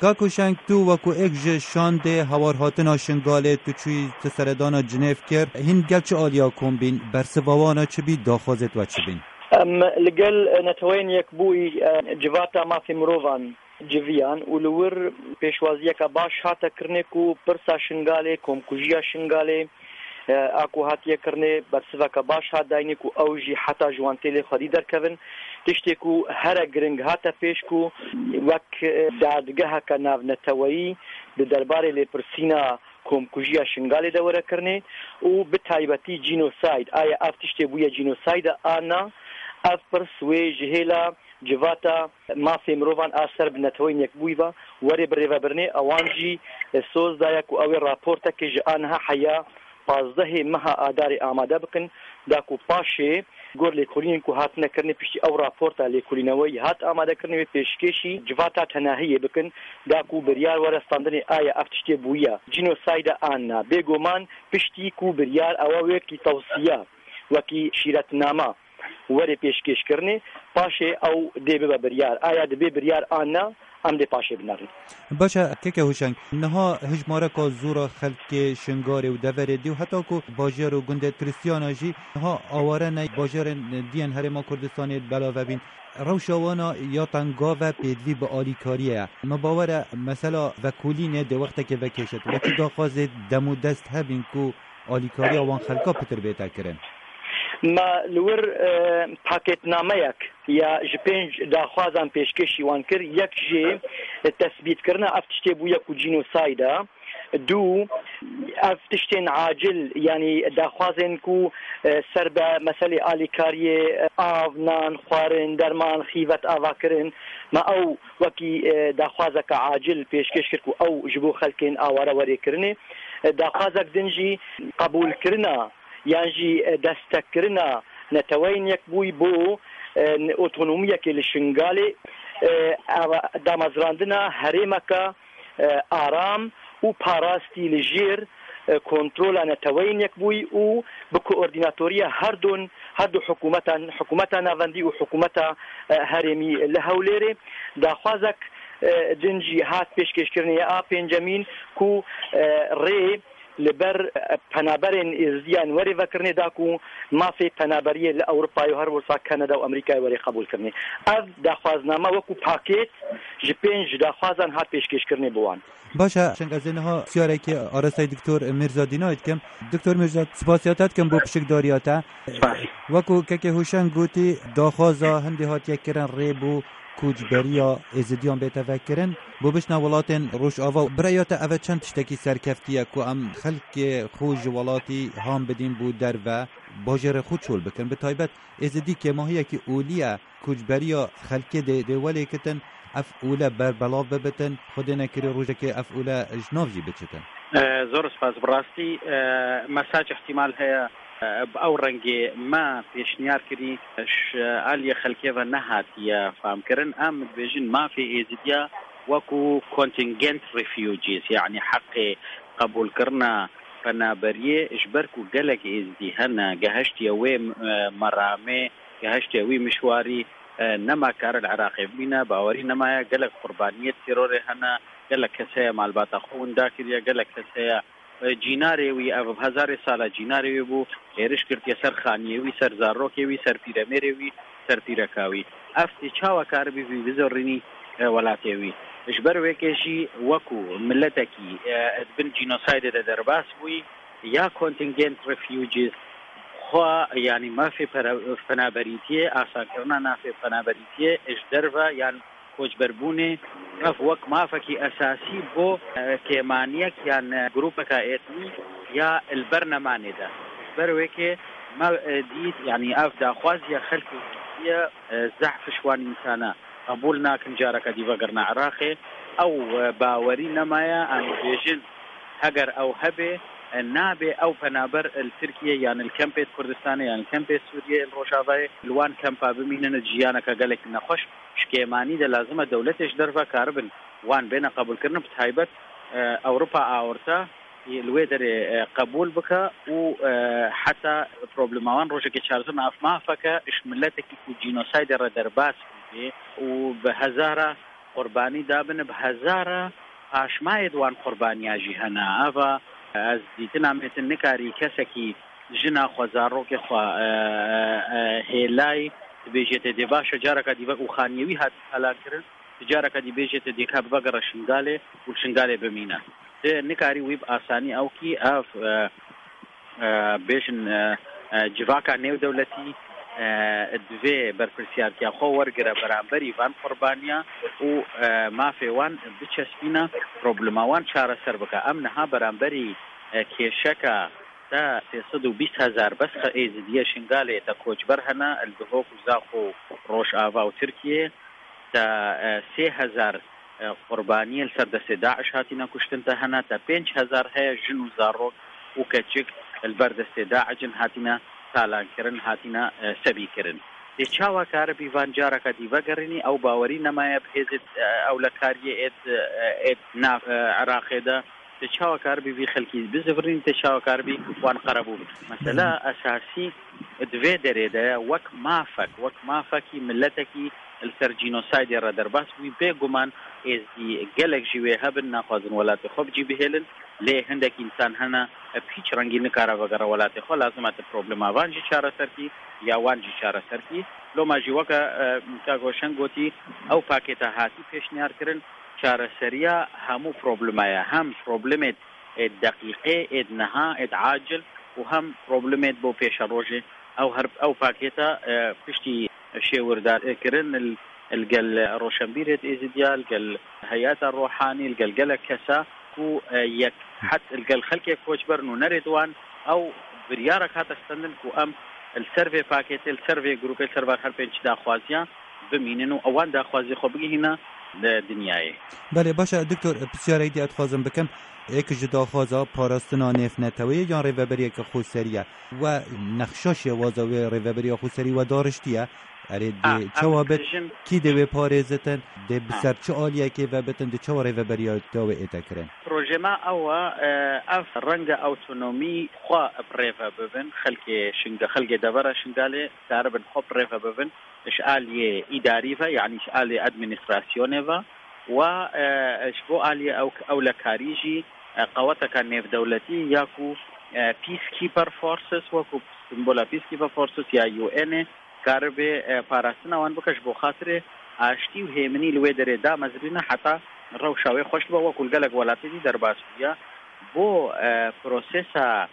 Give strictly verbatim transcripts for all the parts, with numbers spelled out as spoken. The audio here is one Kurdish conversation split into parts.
Kak Huşeng, tu wekû êk ji şandê hewarhatina Şingalê, tu çûyî, tu seredana Cinêv kir. Hîn gel çi aliya kom bîn? Bersiva wana çi bî? Daxwazê we çi bîn? Em li gel Neteweyên Yekbûyî, e, Civata Mafê Mirovan civiyan û li wir pêşwaziyeke baş hate kirinê ku pirsa Şingalê, komkujiya Şingalê, e, a ku hatiye kirinê, bersiveke baş hat dayînê ku ew jî heta ji wan têlê xwedî derkevin. Tiştê ku here giring hate pêş ku wek, e, dadgeheke navneteweyî di derbarê lêpirsîna komkujiya Şingalê de were kirinê û bi taybetî genocide, aya ev tiştê bûye genocide an na, ev pirs wê ji hêla Civata Mafê Mirovan a ser bi Neteweyên Yekbûyî ve were birêvebirinê. Ewan jî, e, soz daye ku ew ê raportekê ji aniha heya pazdehê meha Adarê amade bikin, da ku paşê gor lêkolînên ku hatine kirinê piştî ew raporta lêkolîneweyî hat amadekirinê wê pêşkêşî Civata Tenahiyê bikin, da ku biryar were standinê aya ev tiştê bûye genocide an na. Bêguman piştî ku biryar ewa wekî tewsiya, wekî şîretnama were pêşkêşkirinê, paşê ew dê bibe biryar. Aya dibê biryar an na, em dê paşê binerin. Baş e, keke Huşeng, niha hijmareka zor a xelkê Şingalê û deverê dî û heta ku bajêr û gundê Krîstiyana jî niha aware ne, bajarên diyên Herêma Kurdistanê belav bîn. Rewşa wana ya tengav e, pêdivî bi alîkariyê ye. Me bawer e, mesela vekolînê dê wextekê vekêşit. Wekî daxwazê dem û dest hebîn ku alîkariya wan xelka pitir bête kirin. Me li wir, e, pakêtnameyek ya ji pênc daxwazan pêşkêşî wan kir. Yek jê tesbîtkirina ev tiştê bûye ku genocide. Du, ev tiştên acil, yanî daxwazên ku, e, ser be meselê alîkariyê, e, av, nan, xwarin, derman, xîvet avakirin, me ew wekî, e, daxwazeke acil pêşkêş kir ku ew ji bo xelkên aware werê kirinê. E, daxwazek din jî qebûlkirina yan jî, e, destekkirina Neteweyên Yekbûyî bo, e, otonomiyekê li Şingalê, e, ava-, damezrandina herêmeke, e, aram û parastî li jêr, e, kontrola Neteweyên Yekbûyî û bi koordînatoriya her du, her du hikûmetan, hikûmeta navendî û hikûmeta, e, herêmî li Hewlêrê. Daxwazek, e, din jî hat pêşkêşkirinê ya a pêncemîn ku, e, rê li ber, e, penaberên Êzidiyan werê vekirinê da ku mafê penaberiyê li Ewropayê û her wisa Kanada û Amerîkayê werê qebûlkirinê. Ev daxwazname wekû pakêt ji pênc daxwazan hat pêşkêşkirinê bi wan. Baş e, Şeng, ez ê niha siyareke arastayî Doktor Mîrza Dînayê dikim. Doktor Mîrza, spasiya te dikim bo pişikdariya te. Spas. Wekû kekê Hûşeng gotî, daxwaza hindê hatiye kirin rê bo koçberiya Êzidiyan bête vekirin, bo biçine welatên Rojava. Bi rêya te ev çend tiştekî serkeftî ye ku em xelkê xwe ji welatî han bidîn bo derve, bajêrê xwe çol bikin? Bi taybet Êzidî kêmahiyekî olî ye, koçberiya xelkê dê, dê welêkitin, ev ole berbelav bibitin, Xwedê nekirî rojekê ev ole ji nav jî biçitin. E, zor spas. Bi rastî, e, mesaj ihtimal heye, e, bi ew rengê me pêşniyar kirî, ji aliyê xelkê ve nehatiye famkirin. Em dibêjin mafê Êzidiya wekû contingent refugees, yanî heqê qebûlkirina penaberiyê, ji ber ku gelek Êzidî hene, geheştiye wê, e, meramê, geheştiye wî mişwarî, e, nema kare li Iraqê bimîne, bawerî nemaye, gelek qurbaniyê terorê hene, gelek kes heye malbata xwe winda kiriye, gelek kes heye, e, cînarê wî, ev bi hezarê sala cînarê wî bû, êriş girtiye ser xaniyê wî, ser zarokê wî, ser pîremêrê wî, ser pîreka wî. Ev tê çawa karibî vî bizorînî, e, welatê wî? Ji ber wê kê jî wekû miletekî, e, di bin cînosaydê de derbas bûyî, ya contingent refugees, xwe, yanî mafê pere-, penaberîtiyê, asankirina mafê penaberîtiyê ji derve yan koçberbûnê, ev wek mafekî esasî bo, e, kêmaniyek yan, e, grûpeka etnî ya li ber nemanê de. Ji ber wê kê me, e, dît, yanî ev daxwaziya xelkê ye, e, zehf ji wan însana qebûl nakin careke dî vegirine Iraqê. Ew, e, bawerî nemaye, em dibêjin, heger ew hebe, e, nabe ew penaber li Tirkiye yan li kempê Kurdistanê yan li kempê Sûriyê li Rojavayê li wan kempa bimînin, jiyaneke gelekî nexweş. Ji kêmanî de lazim e dewletê ji derve karibin wan bêne qebûlkirin, bi taybet, e, Ewropa Awirta li wê derê, e, qebûl bike û, e, heta problema wan rojekê çareser nabe. Ev mafeke ji miletekî ku cînosaydê re derbas bûye û bi hezara Qurbanî dabin bi hezara paşmayê di wan qurbaniya jî hene. Eva ez dîtina me ti nikarî kesekî jina xwe, zarokê xwe, e, e, e, hêlay dibêjê te dê baş e, careka dî vek û xaniyê wî hatî talan kirin, di careka dî bêjê te dê ka bivegere Şingalê û li Şingalê bimîne. Ti nikarî wî bi asanî ew kî ev, e, e, bêjin, e, e, civaka nêwdewletî, e, divê berpirsiyartiya xwe wergire beramberî van qurbaniya û, e, mafê wan biçespîne, problema wan çareser bike. Em niha beramberî, e, kêşeka te sê sed û bîst hezar bes xe-, Êzidiye Şingalê te koçber hene, li Duhok û Zaxo û Rojava û Tirkiyê, te, e, sê hezar, e, qurbaniyê li ser destê DAIŞ hatine kuştin te hene, te pênc hezar heye jin û zarok û keçik li ber destê DAIŞ in hatine talankirin, hatine, e, sebîkirin. Dê çawa karibî van careka dî vegerînî, ew bawerî nemaye bi hêzê, e, ewlekariyê êd, e, êd nav, e, Iraqê de. Dê çawa karibî vî xelkî bizivirîn, dê çawa karibî wan qerebû bikin. Mesela esasî di vê derê de ye, wek mafek, wek mafekî miletekî li ser cînosaydê re derbas bûyî, bêguman êzdî gelek jî wê hebin, naxwazin welatê xwe bi cî bihêlin, lê hindek însan hene, bi hîç rengî nikare vegere welatê xwe, lazim e ti problema van jî çareser kî, ya wan jî çareser kî. Loma jî weke, e, kak Hoşeng gotî, ew pakêta hatî pêşniyar kirin, çareseriya hemû problema ye. Hem problemê ê deqîqê, ê niha, ê acil û hem problemê bo pêşerojê. Ew her, ew pakêta, e, piştî şêwirdar, e, kirin, li, li gel roşenbîrê Êzidiya, li gel heyeta Rohanî, li gel gelek kesa ku, e, yek het li gel xelkê koçber nûnerê di wan, ew biryarek hate stendin ku em li ser vê pakêtê, li ser vê grûpê, li ser van her pênc daxwaziya bimînin û ewan daxwaziyê xwe bigihîne li dinyayê. Belê, baş e, Doktor, pisyarek dî ez dixwazim bikim. Êk ji daxwaza parastina nêvneteweyê yan rêveberiyeke xweserî ye. We nexşa şêwaza wê rêveberiya xweserî we dariştiye. Erê, dê çawa bit, kî dê wê parêzitin, dê bi ser çi aliyekê ve bitin, dê çawa rêveberiya te wê ête kirin? Projê me ew e, e, ev renge awtonomî xwe bi rê ve bibin, xelkê Şinga-, xelkê devera Şingalê karibin xwe bi rê ve bibin. Ji aliyê îdarî ve, yanî ji aliyê administrasyonê ve, wa, e, ji bo aliyê ew, ewlekarî jî, e, qeweteka nêvdewletî ya ku, e, Peacekeeper Forces, wekû simbola Peacekeeper Forces ya U N ê, karibe, e, parastina wan bike ji bo xatirê aştî û hêminî li wê derê damezrîne heta rewşa wê xweş bibe, wekû li gelek welatê dî derbas bûye. Bo, e, prosesa,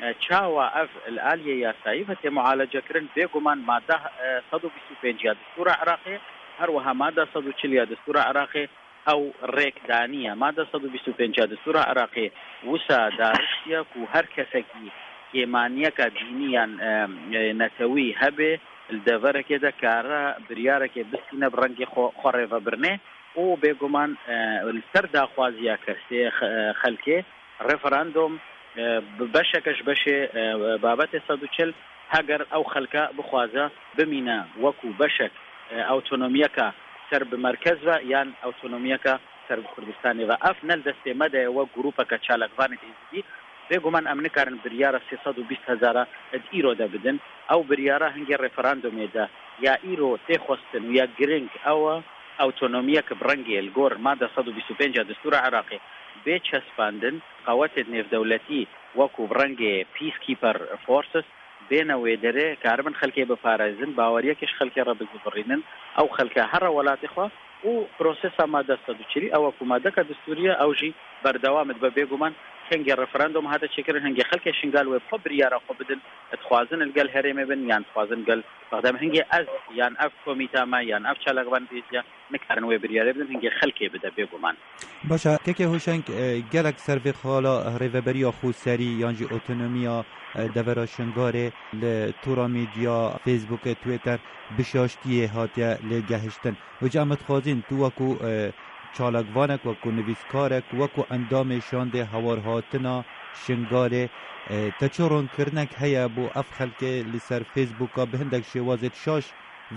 e, çawa ev li aliyê yasayî ve tê mualece kirin, bêguman mada, e, sed û bîst û pênc ya destûra Iraqê, her wiha mada sed û çil ya destûra Iraqê ew rêk daniye. Mada sed û bîst û pênc ya destûra Iraqê wisa dariştiye ku her kesekî kêmaniyeka dînî yan, e, e, netewî hebe li deverekê de kare biryarekê bistîne bi rengê xwe, xwe rêvebirinê. û bêguman, e, li ser daxwaziya kesê, xe-, e, xelkê, referandum, e, bi beşeke ji beşê, e, babetê sed û çil, heger ew xelke bixwaze bimîne wekû beşek, e, awtonomiyeke ser bi merkez ve yan awtonomiyeke ser bi Kurdistanê ve. Ev ne li destê me de ye wek grûpeke çalakvanê Êzidî. Bêguman em nikarin biryara sê sed û bîst hezara di îro de bidin. Ew biryara hingê referandumê de ya îro tê xwestin û ya giring ew e, awtonomiyek bi rengê li gor mada sed û bîst û pênc ya destûra Iraqê bê çespandin, qewetê nêvdewletî wekû bi rengê Peacekeeper Forces bêne wê derê, karibin xelkê biparêzin, baweriyekê ji xelkê re bizivirînin, ew xelke here welatê xwe û prosesa mada sed û çilî ew e ku madeka destûrî ye, ew jî berdewam dibe. Bêguman hingê referandum hate çêkirin, hingê xelkê Şingal wê bi xwe biryara xwe bidin, dixwazin li gel herêmê bin yan dixwazin gel Bexda bin. Hingê ez yan ev komîta me yan ev çalakvan Êzidî nikarin wê biryarê bidin, hingê xelkê bide bêguman. Baş e, kekê Hoşeng, e, gelek ser vê xala rêveberiya xweserî yan jî otonomiya, e, devera Şingalê li tora medya, Facebookê, Twitter bi şaştiyê hatiye lêgehiştin. Wêca em dixwazin tu wekû, e, çalakvanek, wekû nivîskarek, wekû endamê şandê hewarhatina Şingalê, e, te çi ronkirinek heye bo ev xelkê li ser Facebooka bi hindek şêwazê şaş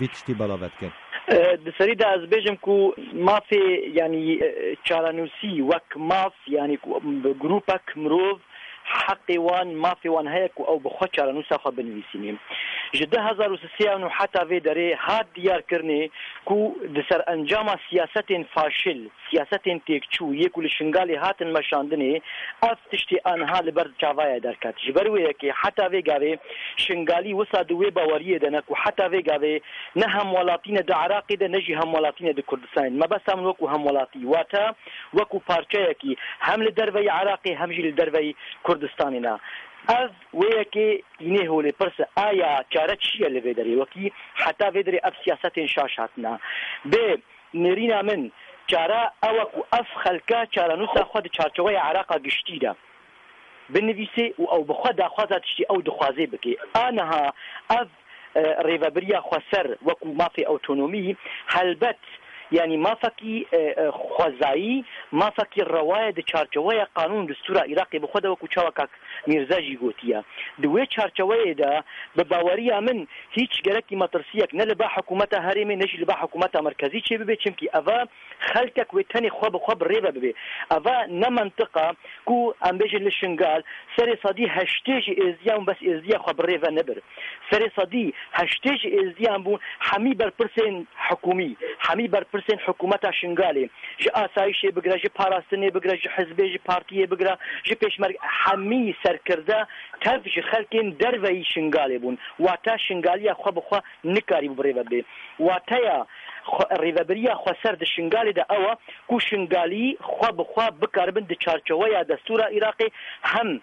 vî tiştî belav dikin? E, di serî de ez bêjim ku mafê, yanî, e, çarenûsî wek maf, yanî ku bi grûpek mirov heqê wan, mafê wan heye ku ew bi xwe çarenûsa xwe binivîsînî. Ji du hezar û sisê û neh heta vê derê hat diyarkirinê ku di serencama siyasetên faşil, siyasetên têkçû yê ku li Şingalê hatin meşandinê, ev tiştê aniha li ber çavayê derket. Ji ber wê yekê heta vê gavê Şingalî wisa di wê baweriyê de ne ku heta vê gavê ne hemwelatî ne di Iraqê de ne jî hemwelatî ne di Kurdistanê. Mebesta min wekû hemwelatî, wate wekû parçeyekî hem li derveyî Iraqê hem jî li derveyî Kurdistanê ne. Ev wê yekê tînê holê pirse, aya çare çi ye li vê derê? Wekî heta vê derê ev siyasetên şaş hatine. Bê nêrîna min, çare ew e ku ev xelke çarenûsa xwe di çarçeweya Iraqa giştî de binivîsê û ew bi xwe daxwaza tiştî ew dixwazê bike. A niha ev, e, rêvebiriya xweser wekû mafê otonomî, helbet, yanî mafekî, e, e, xwezayî, mafekî rewa ye di çarçeweya qanûn û destûra Iraqê bi xwe de, wekû çawa kak Mîrze jî gotiye. Di wê çarçeweyê de, bi baweriya min, hîç gerekî metirsiyek ne li ba hikûmeta herêmê ne jî li ba hikûmeta merkezî çêbibe, çimkî eva xelkek wê tenê xwe bi xwe bi rê ve bibe. Eva ne mentiqa ku em bêjin li Şingal serê sedî heştê ji êzdiyan bûn, bes êzdiya xwe bi rê ve nebir. Serê sedî heştê ji êzdiyan bûn, hemî berpirsên hikûmî, hemî berpirsên hikûmeta Şingalê, ji asayişê bigire, ji parastinê bigire, ji hizbê, ji partiyê bigire, ji pêşmerge, hemî serkirde tev ji xelkên derveyî Şingalê bûn. Wate Şingaliya xwe bi xwe nikarîbû bi rê ve bê. Wateya xwe, rêvebiriya xweser di Şingalê de ew e ku Şingalî xwe bi xwe bikaribin di çarçeweya destûra Iraqê hem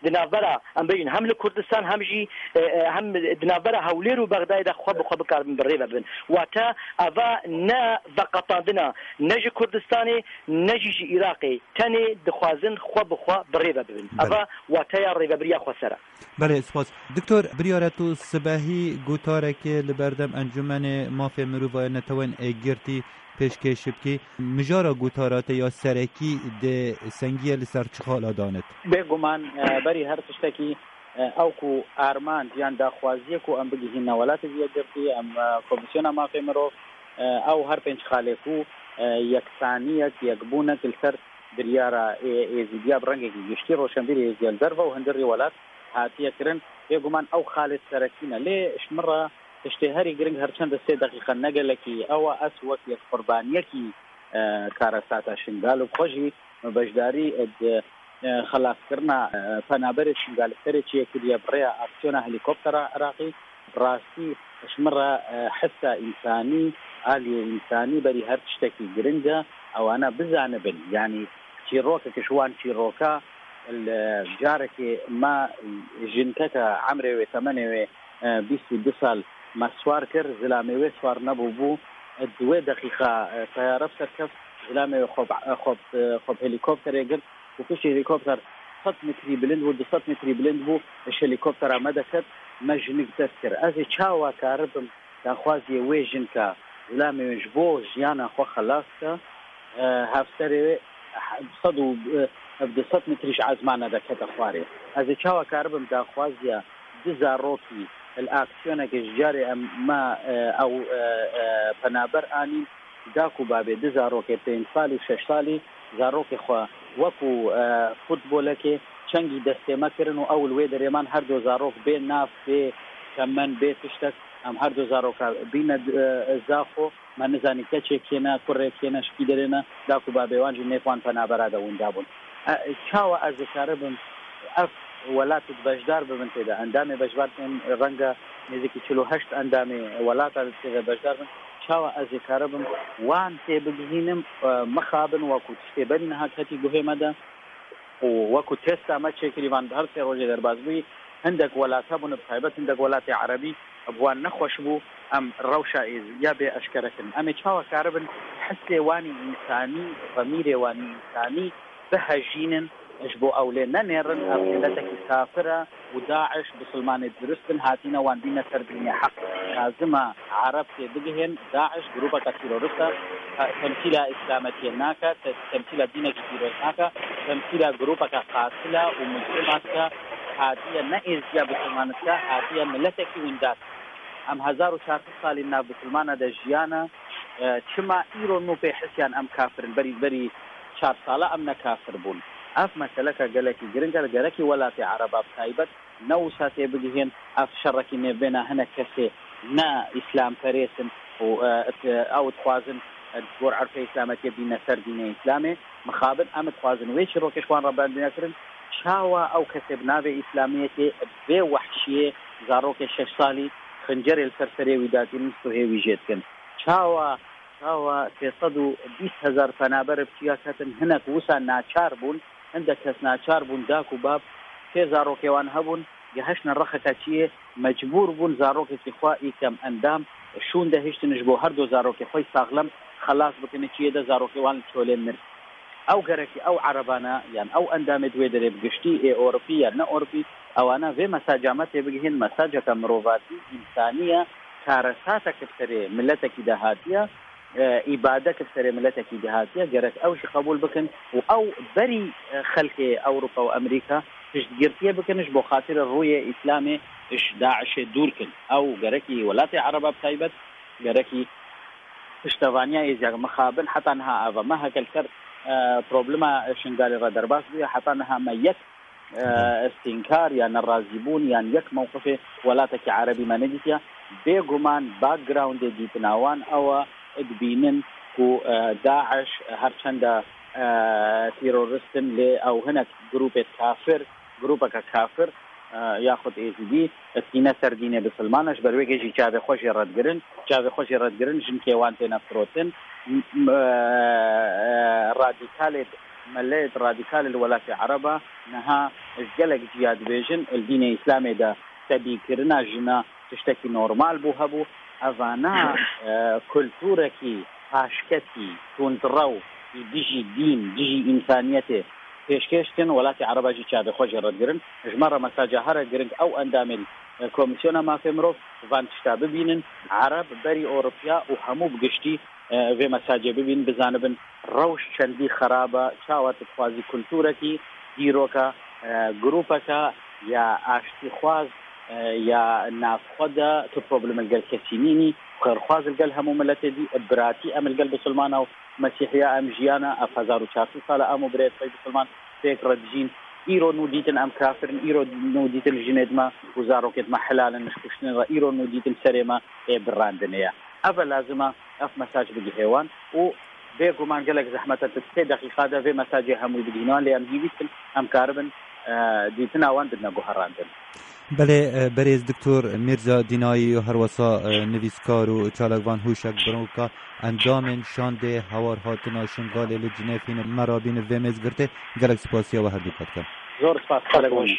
di navbera, em bêjin, hem li Kurdistan hem jî, e, e, hem di navbera Hewlêr û Bexdayê de xwe bi xwe bikaribin bi rê ve bibin. Wate eva ne veqetandina ne ji Kurdistanê ne jî ji Iraqê, tenê dixwazin xwe bi xwe bi rê ve bibin. Belê. Eva wateya rêvebiriya xweser e. Belê, spas. Doktor, biryar e tu sibehî gotarekê li berdem Encûmenê Mafê Mirovan ya Netewên Êkgirtî pêşkêş bikî. Mijara gotara te ya serekî di sengiye li ser çi xala danit? Bêguman, e, berî her tiştekî, e, ew ku armanc yan daxwaziyê ku em bigihîne Welatê Yekgirtî, em, e, Komîsyona Mafê Mirov, e, ew her pênc xalê ku, e, yeksaniyek, yekbûnek li ser biryara ê-, Êzîdiya bi rengekî giştî, roşenbîrê Êzîdiya li derve û hundirî welat hatiye kirin. Bêguman ew xalê serekî ne. Lê ji min re tiştê herî giring, her çend sê deqîqe ne gelekî, ew e ez wek yek qurbaniyekî, e, karesata Şingal û bi xwe jî me beşdarî, e, di, e, xelaskirina, e, penaberê Şingalî serê çêkiriye bi rêya aksiyona helîkoptera Iraqî. Bi rastî ji min re, e, hisa însanî, aliyê însanî berî her tiştekî giring e. Ewana bizanibin, yanî çîrokek ji wan çîroka li carekê me jinkeke emrê wê, temenê wê, e, bîst û du sal me siwar kir, zilamê wê siwar nebûbû. Di wê deqîqa, e, teyare bi ser keft, zilamê wê xwe bi, e, xwe bi, e, xwe bi helîkopterê girt û piştî helîkopter sed metrî bilind bû, du sed metrî bilind bû, ji helîkoptera me deket, me jinik dest kir. Ez ê çawa karibim daxwaziyê wê jinka, zilamê wê ji bo jiyana xwe xelas ke, e, hevserê wê he-, sed û, e, du sed metrî ji ezmana de kete xwarê. Ez ê çawa karibim daxwaziya du zarokî li aksiyonekê ji carê em me, e, ew, e, e, penaber anîn, dayik û babê du zarokê pênc salî û şeş salî zarokê xwe wekû, e, futbolekê çengî destê me kirin û ew li wê derê man, her du zarok bê nav, bê temen, bê tiştek, em her du zaroka bîne, e, zaxo. Me nizanî keçê kê ne, kurê kê ne, ji kî derê ne, dayik û babê wan jî nêv wan penabera de winda bûn. E, çawa ez dikaribim ev welat di beşdar bibin tê de? Endamê beşdar tên renge nêzîkî çil û heşt endamê welata tê de beşdar bin. Çawa ez ê karibim wan tê bigihînim, e, mixabin, wekû tiştê berî niha ketî guhê me de? Û wekû testa me çêkirî, van her sê rojê derbas bûyî, hindek welat hebûn, bi taybet hindek welatê erebî bi wan nexweş bû, em rewşa êziya bê eşkere kirin. Em ê çawa karibin hisê wanî însanî, zemîrê wanî însanî bihejînin, ji bo ew lê nenêrin? Ev miletekî kafir e û DAIŞ bisilmanê dirust in, hatîne wan dîne ser dînê heq. Lazim e ereb tê bigihên DAIŞ grûpeke tîrorist e, temsîla îslametiyê nake, te-, temsîla dînekî pîroz nake, temsîla grûpeke qatil e û mujrim e, hatiye ne êziya bisilman dike, hatiye miletekî winda dike. Em hezar û çar sed salî nav bisilmana de jiyane, e, çima îro nû pê hisiyan em kafir in? Berî, berî çar sala em ne kafir bûn. Ev meseleke gelekî giring e, li gerekî welatê ereba bi taybet ne wisa tê bigihên. Ev şerekî nêvbêna hinek kesê ne îslamperês in û, e, et-, ew dixwazin, e, ji gor erfê îslametiyê bîne ser dînê îslamê. Mixabin em dixwazin wê çîrokê ji wan re berdine kirin. Çawa ew kesê bi navê îslamiyetê vê wehşiyê zarokê şeş salî xincerê li ser serê wî datînin, tuhê wî jê dikin? Çawa, çawa sê sed û bîst hezar penaber bi çiya ketin, hinek wisa naçar bûn, hindek kes naçar bûn, dak û bab sê zarokê wan hebûn, gehiştine rexeke çiyê, mecbûr bûn zarokekî xwe î kem endam şûn de hiştin ji bo her du zarokê xwe saxlem xelas bikin, çiyê de zarokê wan li çolê mir. Ew gerekî ew erebana, yan ew endamê di wê derê bi giştî ê Ewropî yan ne Ewropî, ewana vê mesaca me tê bigihên, mesaceke mirovatî, însaniye, karesatek bi serê miletekî de hatiye, e, îbadek bi serê miletekî de hatiye, gerek ew jî qebûl bikin û ew berî, e, xelkê Ewropa û Amerîka piştgirtiyê bikin ji bo xatirê rûyê Îslamê ji DAIŞê dûr kin. Ew gerekî welatê Ereba bi taybet, gerekî piştevaniya êzî mixabin heta niha ava me heke li ser, e, problema Şingalê re derbas bûye, heta niha me yek, e, stînkar yan nerazîbûn yan yek mewqifê welatekî Erebî me nedîtiye. Bêguman backgroundê dîtina wan ew e, dibînin ku, e, DAIŞ her çenda, e, terorist in, lê ew hinek grûpê kafir, grûpeke kafir, e, yaxud êzidî, tîne ser dînê bisilman e, ji ber wê gê jî çavê xwe jê re digirin, çavê xwe jê re digirin, jinkê wan têne firotin. M-, m-, e, radîkalê, meleyê radîkalê li welatê Ereba niha ji gelek ciya dibêjin, li dînê Îslamê de tebîkirina jina tiştekî normal bû hebû. Evana, e, kulturekî paşketî, tundrew, dijî dîn, dijî însaniyetê pêşkêş dikin, welatê Ereba jî çavê xwe jê re digirin. Ji me re mesaja here giring ew endamên, e, Komîsyona Mafê Mirov van tişta bibînin. Ereb berî Ewropiya û hemû bi giştî, e, vê mesajê bibînin, bizanibin rewş çendî xerab e, çawa tu dixwazî kulturekî, dîroka, e, grûpeke ya aştîxwaz, e, ya navxwe de tu problem li gel kesî nînî, xêrxwaz li gel hemû miletê dî, biratî em li gel bisilmana û mesîhiya em jiyana, ev hezar û çar sed sal e em û birêz xwe bisilman pêk re dijîn. Îro nû dîtin em kafir in, îro nû dîtin jinê dima û zarokê dima helal in ji kuştinê re, îro nû dîtin serê me ê birandinê ye. Ev e lazim e, ev mesaj bigihê wan û bêguman gelek zehmet e, tu sê deqîqa de vê mesajê hemû bigihîne wan, lê em hîvî dikin em karibin, e, dîtina wan bidine guherandin. Belê, e, berêz Doktor Mîrza Dînayî û herwesa, e, nivîskar û çalakvan Hûşek Biroka endamên şandê hewar hatina Şingalê li Cinêfî ne merabî ne vê mêzgirtê, gelek spasiya we herdûka dikim. Zor spas, gelek baş.